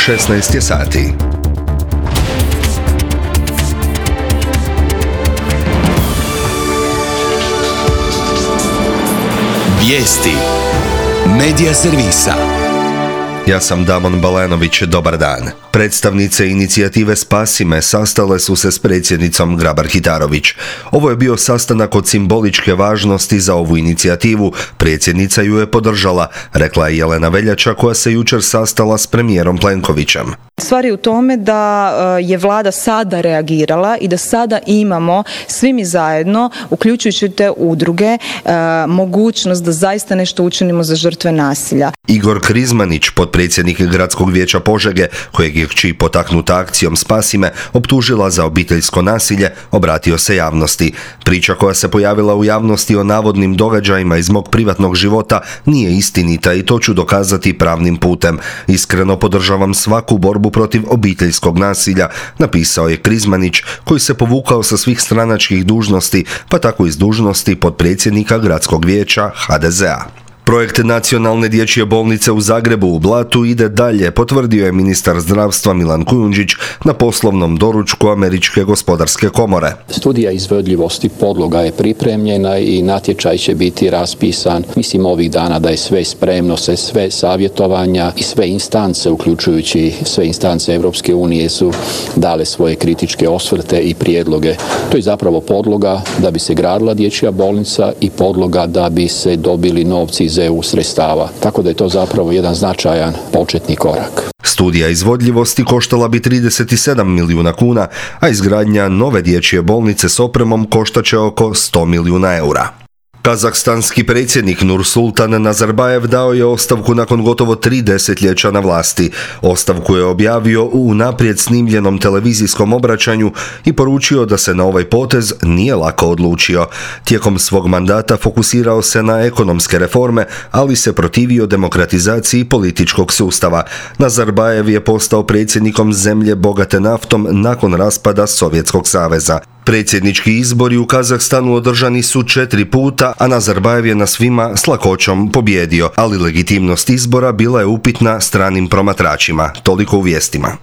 16 je sati. Vijesti Medija servisa. Ja sam Damon Balenović, dobar dan. Predstavnice inicijative Spasi me sastale su se s predsjednicom Grabar-Kitarović. Ovo je bio sastanak od simboličke važnosti za ovu inicijativu. Predsjednica ju je podržala, rekla je Jelena Veljača, koja se jučer sastala s premijerom Plenkovićem. Stvar je u tome da je vlada sada reagirala i da sada imamo svi mi zajedno, uključujući te udruge, mogućnost da zaista nešto učinimo za žrtve nasilja. Igor Krizmanić, potpredsjednik Gradskog vijeća Požege, kojeg je kći potaknuta akcijom Spasi me optužila za obiteljsko nasilje, obratio se javnosti. Priča koja se pojavila u javnosti o navodnim događajima iz mog privatnog života nije istinita i to ću dokazati pravnim putem. Iskreno podržavam svaku borbu protiv obiteljskog nasilja, napisao je Krizmanić, koji se povukao sa svih stranačkih dužnosti, pa tako iz dužnosti potpredsjednika Gradskog vijeća HDZ-a. Projekt Nacionalne dječje bolnice u Zagrebu u Blatu ide dalje, potvrdio je ministar zdravstva Milan Kujundžić na poslovnom doručku Američke gospodarske komore. Studija izvodljivosti podloga je pripremljena i natječaj će biti raspisan. Mislim ovih dana da je sve spremno, sve savjetovanja i sve instance, uključujući sve instance Europske unije, su dale svoje kritičke osvrte i prijedloge. To je zapravo podloga da bi se gradila dječja bolnica i podloga da bi se dobili novci iz EU sredstava. Tako da je to zapravo jedan značajan početni korak. Studija izvodljivosti koštala bi 37 milijuna kuna, a izgradnja nove dječje bolnice s opremom koštaće oko 100 milijuna eura. Kazahstanski predsjednik Nursultan Nazarbajev dao je ostavku nakon gotovo 3 desetljeća na vlasti. Ostavku je objavio u unaprijed snimljenom televizijskom obraćanju i poručio da se na ovaj potez nije lako odlučio. Tijekom svog mandata fokusirao se na ekonomske reforme, ali se protivio demokratizaciji političkog sustava. Nazarbajev je postao predsjednikom zemlje bogate naftom nakon raspada Sovjetskog saveza. Predsjednički izbori u Kazahstanu održani su 4 puta, a Nazarbajev je na svima s lakoćom pobjedio, ali legitimnost izbora bila je upitna stranim promatračima. Toliko u vijestima.